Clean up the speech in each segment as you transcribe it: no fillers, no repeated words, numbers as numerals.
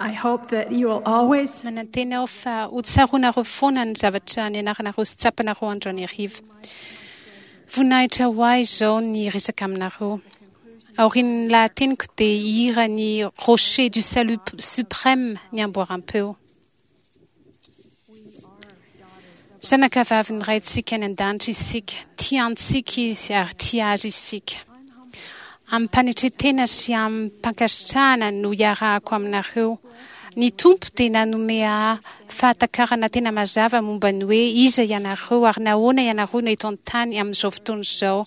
I hope that you will always Manantena aho fa ho tsaroanareo foana ny zavatra nianaranareo sy tsapanareo androany hariva. Voninahitra ho ahy izao ny hiresaka aminareo. Aorian'ny lahateniko dia hihira ny Rocher du Salut Suprême ny amboaram-peo. Zanakavavin'ny Raintsika any An-danitra isika. Tia antsika Izy ary tia Azy isika. Amim-panetren-tena sy amim-pankasitrahana no iarahako aminareo. Ny Tompo dia nanome ahy fahatakarana tena mazava momba ny hoe iza ianareo ary nahoana ianareo no eto an-tany amin'izao fotoana izao.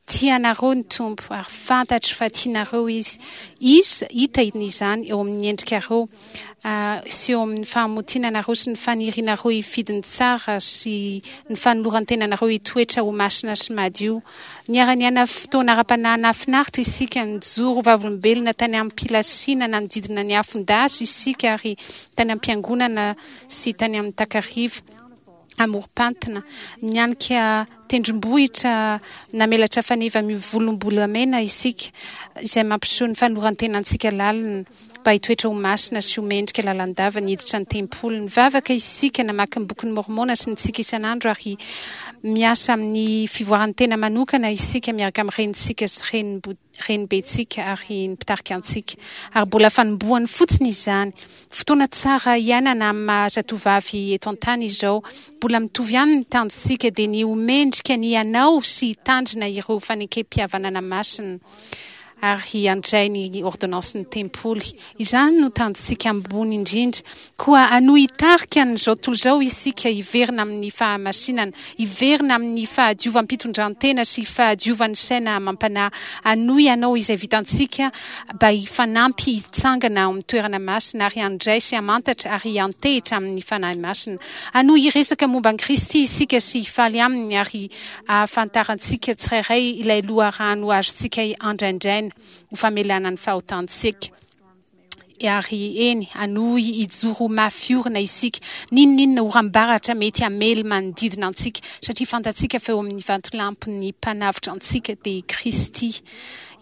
Tia anareo ny Tompo ary fantatro fa tianareo Izy. Izy, hita izany eo amin'ny endrikareo sy eo amin'ny fahamotinanareo sy ny fanirianareo hifidy ny tsara sy ny fanoloran-tenanareo hitoetra ho masina sy madio. Niara-niaina fotoana ara-panahy nahafinaritra isika, nijoro ho vavolombelona tany am-pilasiana nanodidina ny afon-dasy isika ary tany am-piangonana sy tany amin'ny takariva. amorom-pantina, nianika tendrombohitra namelatra faneva mivolombolamena isika, izay mampiseho ny fanoran-tenantsika lalina mba hitoetra ho masina sy ho mendrika lalandava ny hiditra ny tempoly. Nivavaka isika, namaky ny Bokin'i Môrmôna sy nitsiky isan'andro ary miasa amin'ny fivoaran'ny tena manokana isika miaraka amin'ny renintsika sy renim-body. renibentsika ary ny mpitarika antsika. Ary mbola fanombohany fotsiny izany. Fotoana tsara hiainana amin'ny maha zatovavy eto an-tany izao. Mbola mitovy ihany ny tanjontsika dia ny ho mendrika ny hanao sy hitandrina ireo fanekempihavanana masina ary handray ny ôrdônansin'ny tempoly. Izany no tanjontsika ambony indrindra. Koa hanohy hitarika an'izao tontolo izao isika hiverina amin'ny fahamasinana, hiverina amin'ny fahadiovam-pitondrantena sy fahadiovan'ny saina amam-panahy. Hanohy hanao izay vitantsika mba hifanampy hitsangana ao amin'ny toerana masina ary handray sy hamantatra ary hiantehitra amin'ny Fanahy Masina. Hanohy hiresaka momba an'i Kristy isika sy hifaly Aminy ary hahafantarantsika tsirairay ilay loharano azontsika andraindraina. ho famelana ny fahotantsika. Ary eny, hanohy hijoro ho mafy orina isika, n'inon'inona oram-baratra mety hamely manodidina antsika, satria fantatsika fa eo amin'ny vatolampin'ny Mpanavotra antsika, dia i Kristy,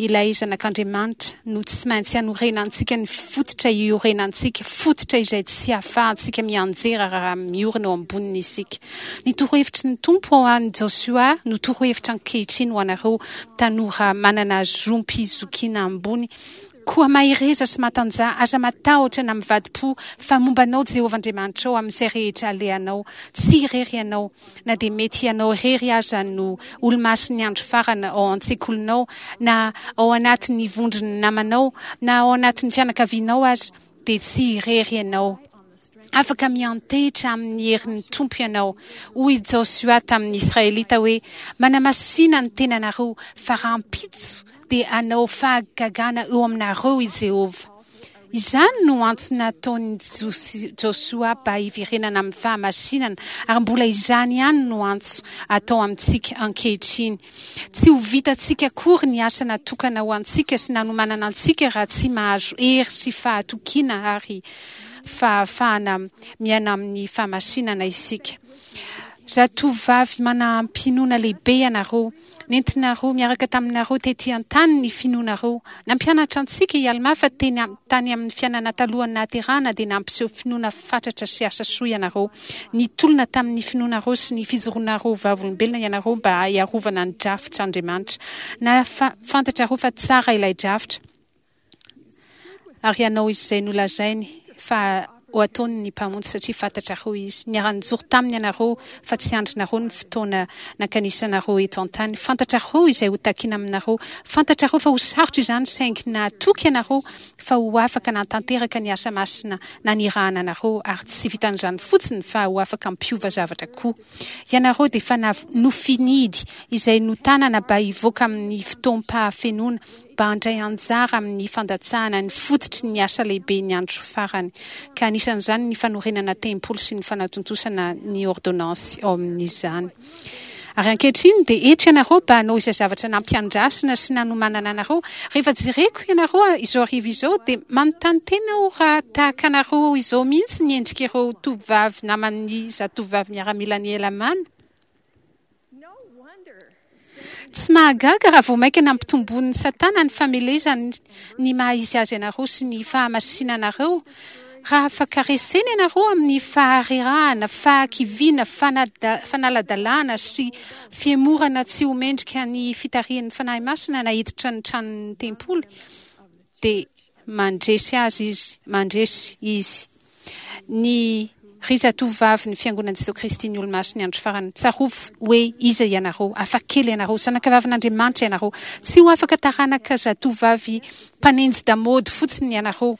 ilay Zanak'Andriamanitra, no tsy maintsy hanorenantsika ny fototra iorenantsika, fototra izay tsy ahafahantsika mianjera raha miorina eo amboniny isika. Ny torohevitry ny Tompo ho an'i Josoa no torohevitra ankehitriny ho anareo tanora manana zom-pizokiana ambony. Koa mahereza sy matanjaha, aza matahotra na mivadi-po, fa momba anao Jehovah Andriamanitrao amin'izay rehetra alehanao. Tsy irery ianao, na dia mety ianao irery aza no olomasin'ny andro farany ao an-tsekolinao, na ao anatin'ny vondron'ny namanao, na ao anatin'ny fianakavianao aza, dia tsy irery ianao. Afaka miantehitra amin'ny herin'ny Tompo ianao. Hoy i Josoa tamin'ny Israelita hoe, Manamasìna ny tenanareo, fa rahampitso dia hanao fahagagana eo aminareo i Jehovah. Izany no antso nataon'i Josoa mba hiverenana amin'ny fahamasinana, ary mbola izany ihany no antso atao amintsika ankehitriny. Tsy ho vitantsika akory ny asa natokana ho antsika sy nanomanana antsika raha tsy mahazo hery sy fahatokiana ary fahafahana miaina amin'ny fahamasinana isika. Zatovovavy manam-pinoana lehibe ianareo. Nentinareo miaraka taminareo tety an-tany ny finoanareo. Nampianatra antsika i Almà fa teny tany amin'ny fiainana talohan'ny nahaterahana dia nampiseho finoana fatratra sy asa soa ianareo. Nitolona tamin'ny finoanareo sy ny fijoroanareo vavolombelona ianareo mba hiarovana ny drafitr'Andriamanitra. Na fantatrareo fa tsara ilay drafitra. Ary hanao izay nolazainy fa ho ataony ny Mpamonjy, satria fantatrareo Izy. Niara-nijoro taminy ianareo, fa tsy andrinareo ny fotoana nankanisanareo eto an-tany. Fantatrareo izay ho takiana aminareo. Fantatrareo fa ho sarotra izany, saingy nahatoky ianareo fa ho afaka nahatanteraka ny asa masina nanirahana anareo, ary tsy vitan'izany fotsiny fa ho afaka hampiova zavatra koa. Ianareo dia efa nofinidy izay notanana mba hivoaka amin'ny fotoam-pahafenoana, mba handray anjara amin'ny fandatsahana ny fototry ny asa lehibe ny andro farany, ka anisan'izany ny fanorenana tempoly sy ny fanatontosana ny ôrdônansy ao amin'izany. Ary ankehitriny dia eto ianareo mba hanao izay zavatra nampiandrasina sy nanomanana anareo. Rehefa jereko ianareo izao hariva izao dia manontany tena aho raha tahaka anareo izao mihitsy ny endrik'ireo tovovavy naman'ny zatovovavy miaramilan'i Helamàna. Tsy mahagaga raha vao mainka nampitomboin'i Satana ny famelezany ny maha-izy azy anareo sy ny fahamasinanareo, raha afaka resena ianareo amin'ny faharerahana, fahakiviana, fanaladalana sy fihemorana tsy ho mendrika ny fitarihan'ny Fanahy Masina na hiditra ny tranon'ny tempoly, dia mandresy azy izy, mandresy izy. Ny Ry zatovovavin'ny Fiangonan'i Jesoa Kristy ny Olomasin'ny Andro Farany, tsarovy hoe iza ianareo, hafa kely ianareo, zanakavavin'Andriamanitra ianareo. Tsy ho afaka taranaka zatovovavy mpanenji-damaody fotsiny ianareo.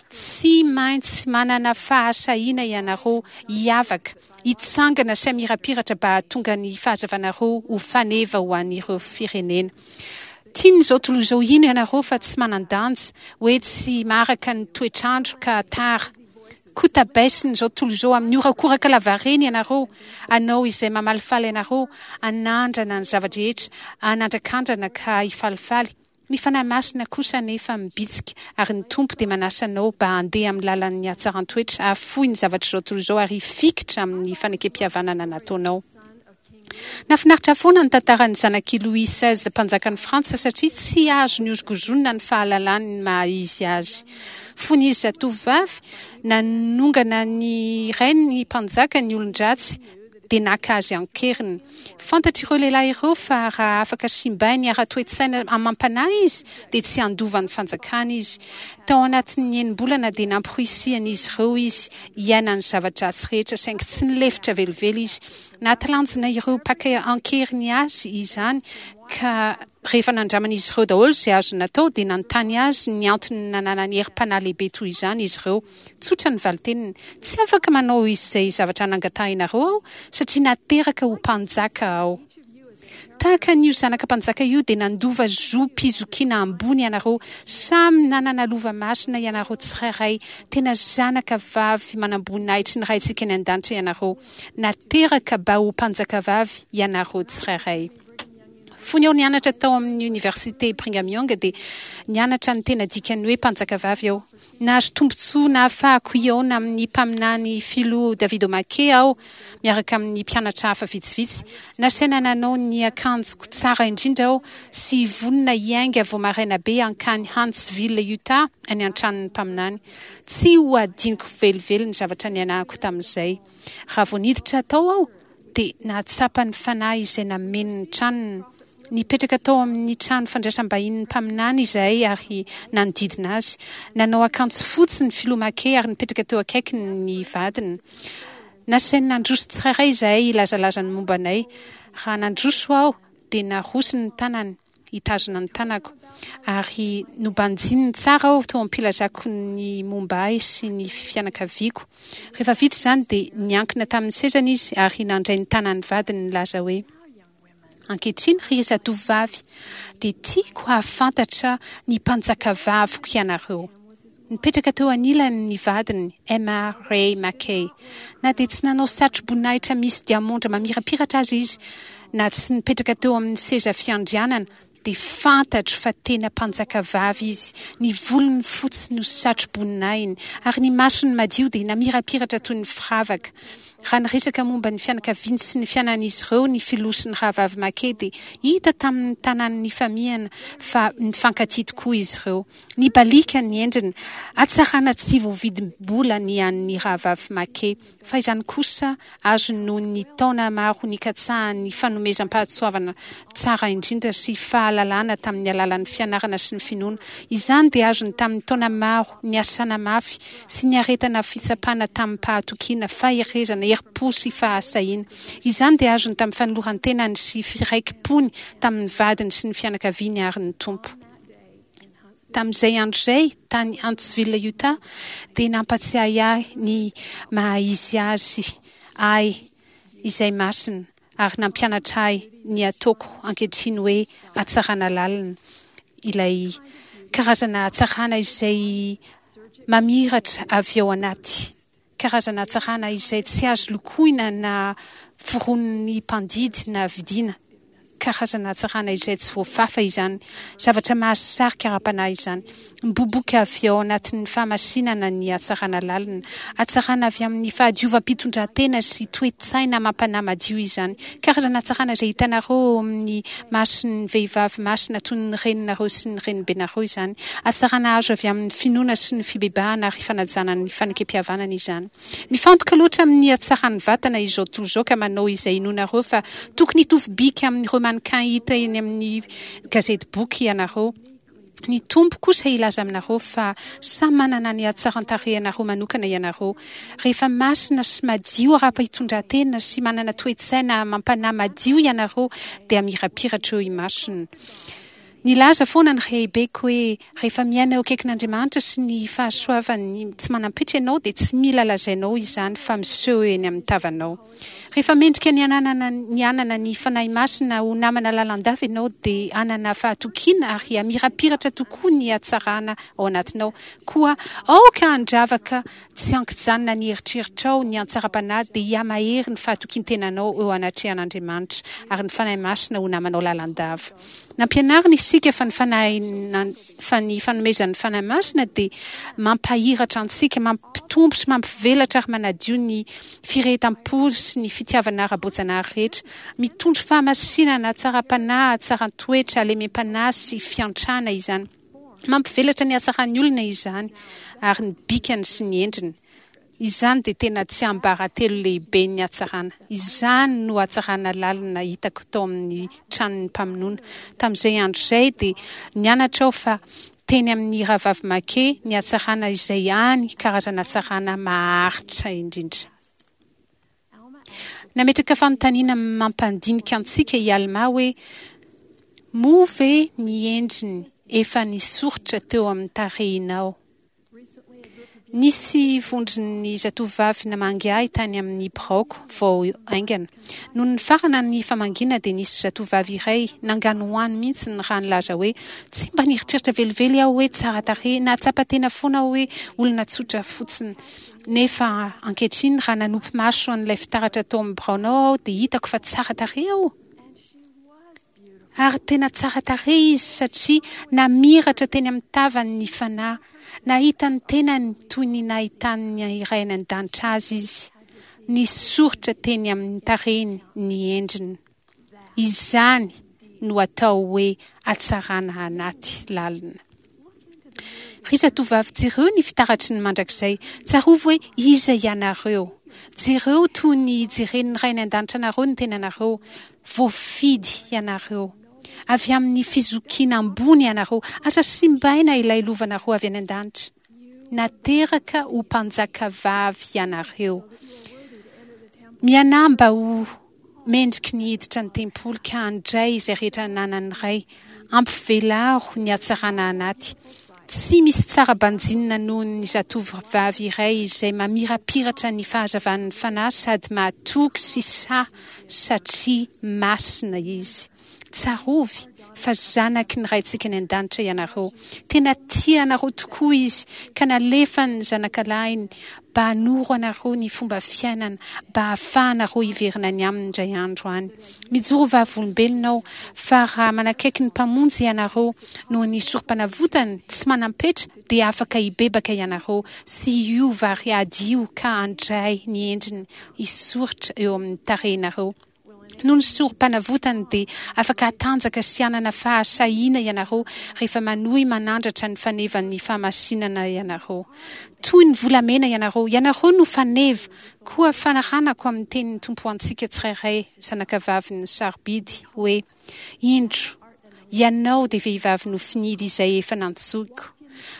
Tsy maintsy manana fahasahiana ianareo hiavaka, hitsangana sy hamirapiratra mba hahatonga ny fahazavanareo ho faneva ho an'ireo firenena. Tian'izao tontolo izao hino ianareo fa tsy manan-danja, hoe tsy maharaka ny toetr'andro ka tara. Kotabaisin'izao tontolo izao amin'ny horakoraka lavareny ianareo, hanao izay mamalifaly anareo, hanandrana ny zava-drehetra, hanandrakandrana ka hifalifaly. Ny Fanahy Masina kosa anefa mibitsika, ary ny Tompo dia manasa anao mba handeha amin'ny lalan'ny hatsaran-toetra, hahafoy ny zavatr'izao tontolo izao ary hifikitra amin'ny fanekempihavanana nataonao. Nahafinaritra foana ny tantaran'ny zanak'i Louis seize mpanjakan'i Frantsa satria tsy azo nihozongozonina ny fahalalany ny maha izy azy. Fony izy zatovovavy, nanongana ny rainy mpanjaka ny olon-dratsy dia naka azy an-keriny. Fantatr'ireo lehilahy ireo fa raha afaka simbainy ara-toe-tsaina amam-panahy izy dia tsy handova ny fanjakana izy. Tao anatin'ny enim-bolana dia namporisihan'izy ireo izy hiaina ny zava-dratsy rehetra saingy tsy nilefitra velively izy. Nahatalanjona ireo mpaka an-keriny azy izany ka rehefa nandraman'izy ireo daholo izay azony natao dia nanontany azy ny antony nananany herim-panahy lehibe toy izany izy ireo. Tsotra ny valin-teniny, Tsy afaka manao izay zavatra nangatahinareo aho satria nateraka ho mpanjaka aho. Tahaka an'io zanaka mpanjaka io dia nandova zom-pizokiana ambony ianareo. Samy nanana lova masina ianareo tsirairay. Tena zanaka vavy manamboninahitry ny Raintsika any An-danitra ianareo. Nateraka mba ho mpanjakavavy ianareo tsirairay. Fony aho nianatra tao amin'ny Oniversite Brigham Young dia nianatra ny tena dikan'ny hoe mpanjakavavy aho. Nahazo tombontsoa nahafahako hihaona amin'ny mpaminany Filoha David O. McKay aho miaraka amin'ny mpianatra hafa vitsivitsy. Nasaina nanao ny akanjoko tsara indrindra aho sy vonona hiainga vao maraina be hankany Huntsville, Utah, any an-tranon'ny mpaminany. Tsy ho hadinoko velively ny zavatra nianarako tamin'izay. Raha vao niditra tao aho, dia nahatsapa ny Fanahy izay nameno ny tranony. Nipetraka tao amin'ny trano fandraisam-bahinin'ny mpaminany izahay ary nanodidina azy. Nanao akanjo fotsy ny filoha McKay ary nipetraka teo akaikiny ny vadiny. Nasainy nandroso tsirairay izahay hilazalaza ny momba anay. Raha nandroso aho dia narosony ny tanany hitazona ny tanako ary nobanjininy tsara aho teo am-pilazako ny momba ahy sy ny fianakaviako. Rehefa vita izany dia niankina tamin'ny sezany izy ary nandray ny tanan'ny vadiny nilaza hoe, Ankehitriny, ry zatovovavy, dia tiako hahafantatra ny mpanjakavaviko ianareo. Nipetraka teo anilany ny vadiny, Emma Ray McKay. Na dia tsy nanao satroboninahitra misy diamondra mamirapiratra aza izy, na tsy nipetraka teo amin'ny seza fiandrianana, dia fantatro fa tena mpanjakavavy izy, ny volony fotsy no satroboninahiny, ary ny masony madio dia namirapiratra toy ny firavaka. Raha niresaka momba ny fianakaviany sy ny fiainan'izy ireo ny filoha sy ny rahavavy McKay dia hita tamin'ny tanany nifamihana fa nifankatia tokoa izy ireo. Nibaliaka ny endriny. Hatsarana tsy voavidim-bola ny an'ny rahavavy McKay, fa izany kosa Azony noho ny taona maro nikatsahany ny fanomezam-pahatsoavana tsara indrindra sy fahalalana tamin'ny alalan'ny fianarana sy ny finoana. Izany dia azony tamin'ny taona maro niasana mafy sy niaretana fitsapana tamim-pahatokiana, faherezana, herim-po sy fahasahiana. Izany dia azony tamin'ny fanoloran-tenany sy firaiki-pony tamin'ny vadiny sy ny fianakaviany ary ny Tompo. Tamin'izay andro izay, tany Huntsville, Utah, dia nampatsiahy ahy ny maha-izy azy ahy izay masina ary nampianatra ahy ny ataoko ankehitriny hoe hatsarana lalina, ilay karazana hatsarana izay mamiratra avy ao anaty. Karazana hatsarana izay tsy azo lokoina na foronin'ny mpandidy na vidiana. Karazana hatsarana izay tsy voafafa izany. Zavatra mahasarika ara-panahy izany. Miboiboika avy ao anatin'ny fahamasinana ny hatsarana lalina. Hatsarana avy amin'ny fahadiovam-pitondrantena sy toe-tsaina amam-panahy madio izany. Karazana hatsarana izay hitanareo eo amin'ny mason'ny vehivavy masina toy ny reninareo sy ny renibenareo izany. Hatsarana azo avy amin'ny finoana sy ny fibebahana ary fanajana ny fanekempihavanana izany. Mifantoka loatra amin'ny hatsaran'ny vatana izao tontolo izao ka manao izay inoanareo fa tokony hitovy bika amin'ireo mannequin hita eny amin'ny gazety boky ianareo. Ny Tompo kosa hilaza aminareo fa samy manana ny hatsaran-tarehinareo manokana ianareo. Rehefa masina sy madio ara-pitondran-tena sy manana toe-tsaina amam-panahy madio ianareo dia mirapiratra eo imasony. Nilaza foana ny rehibeko hoe rehefa miaina eo akaikin'Andriamanitra sy ny fahasoavany tsy manam-petra ianao dia tsy mila lazainao izany fa miseho eny amin'ny tavanao. Rehefa mendrika ny hananana ny hanana ny Fanahy Masina ho namana lalandava ianao dia hanana fahatokiana ary hamirapiratra tokoa ny hatsarana ao anatinao. Koa aoka handravaka tsy ankijanona ny eritreritrao ny antsaram-panahy dia hihamahery ny fahatokian-tenanao eo anatrehan'Andriamanitra ary ny Fanahy Masina ho namanao lalandava. Nampianarina isika fa ny Fanahy fa ny fanomezan'ny Fanahy Masina dia mampahiratra antsika, mampitombo sy mampivelatra ary manadio ny firehetam-po sy ny fitiavana ara-boajanahary rehetra. Mitondro fahamasinana, hatsaram-panahy, hatsaran-toetra, halemem-panahy sy fiantrana izany. Mampivelatra ny hatsaran'ny olona izany ary ny bikany sy ny endriny. Izany dia tena tsiambaratelo lehiben'ny hatsarana. Izany no hatsarana lalina hitako tao amin'ny tranon'ny mpamonoana. Tamin'izay andro izay dia nianatra aho fa teny amin'ny Rahavavy Mackay ny hatsarana izay hany karazana hatsarana maharitra indrindra. Nametraka fanontaniana mampandinika antsika i Almà hoe, Moa ve ny endriny efa nisoritra teo amin'ny tarehinao? Nisy vondron'ny zatovovavy namangy ahy tany amin'ny biraoko vao haingana. Nony nifarana ny famangiana dia nisy zatovovavy iray nanganohano mihitsy raha nilaza hoe, Tsy mba nieritreritra velively aho hoe tsara tarehy, nahatsapa tena foana aho hoe olona tsotra fotsiny. Nefa ankehitriny raha nanopy maso an'ilay fitaratra tao amin'ny biraonao aho dia hitako fa tsara tarehy aho. Ary tena tsara tarehy izy satria namiratra teny amin'ny tavany ny Fanahy. Nahita ny tenany toy ny nahitan'ny Ray any An-danitra azy izy. Nisoritra teny amin'ny tarehiny ny endriny. Izany no atao hoe hatsarana anaty lalina. Ry zatovovavy jereo ny fitaratry ny mandrakizay. Tsarovy hoe iza ianareo. Jereo toy ny ijeren'ny Ray any An-danitra anareo ny tenanareo. Voafidy ianareo. Avy amin'ny fizokiana ambony ianareo. Aza simbaina ilay lovanareo avy any an-danitra. Nateraka ho mpanjakavavy ianareo. Mianahy mba ho Mendriky ny hiditra ny tempoly ka handray izay rehetra ananan'ny Ray. Ampivelaro ny hatsarana anaty. Tsy misy tsara banjinina noho ny zatovovavy iray izay mamirapiratra ny fahazavan'ny Fanahy sady mahatoky sy sahy satria masina izy. Tsarovy fa zanaky ny Raintsika any An-danitra ianareo. Tena tia anareo tokoa Izy ka nalefany ny Zanakalahiny mba hanoro anareo ny fomba fiainana mba hahafahanareo hiverina any Aminy indray andro any. Mijoro vavolombelona aho fa raha manakaiky ny Mpamonjy ianareo noho ny Sorompanavotany tsy manam-petra dia afaka hibebaka ianareo sy hiova ary hadio ka handray ny endriny hisoritra eo amin'ny tarehinareo. Noho ny sorom-panavotany dia afaka hatanjaka sy hanana fahasahiana ianareo rehefa manohy manandratra ny fanevan'ny fahamasinana ianareo. Toy ny volamena ianareo. Ianareo no faneva. Koa fanaranako amin'ny tenin'ny Tompo ho antsika tsirairay, zanakavavin'ny sarobidy, hoe, Indro, ianao dia vehivavy nofinidy izay efa nantsoiko.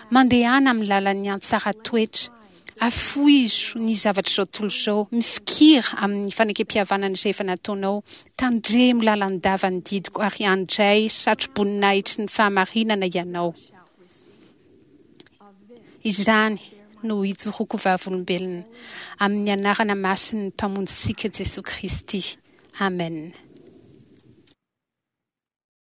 Mandehana amin'ny lalan'ny antsaran-toetra. Afoizo ny zavatr'izao tontolo izao, mifikira amin'ny fanekempihavanana izay efa nataonao, tandremo lalandava ny didiko ary handray satroboninahitry ny fahamarinana ianao. Izany no ijoroako vavolombelona, amin'ny anarana masin'ny Mpamonjintsika Jesoa Kristy. Amen.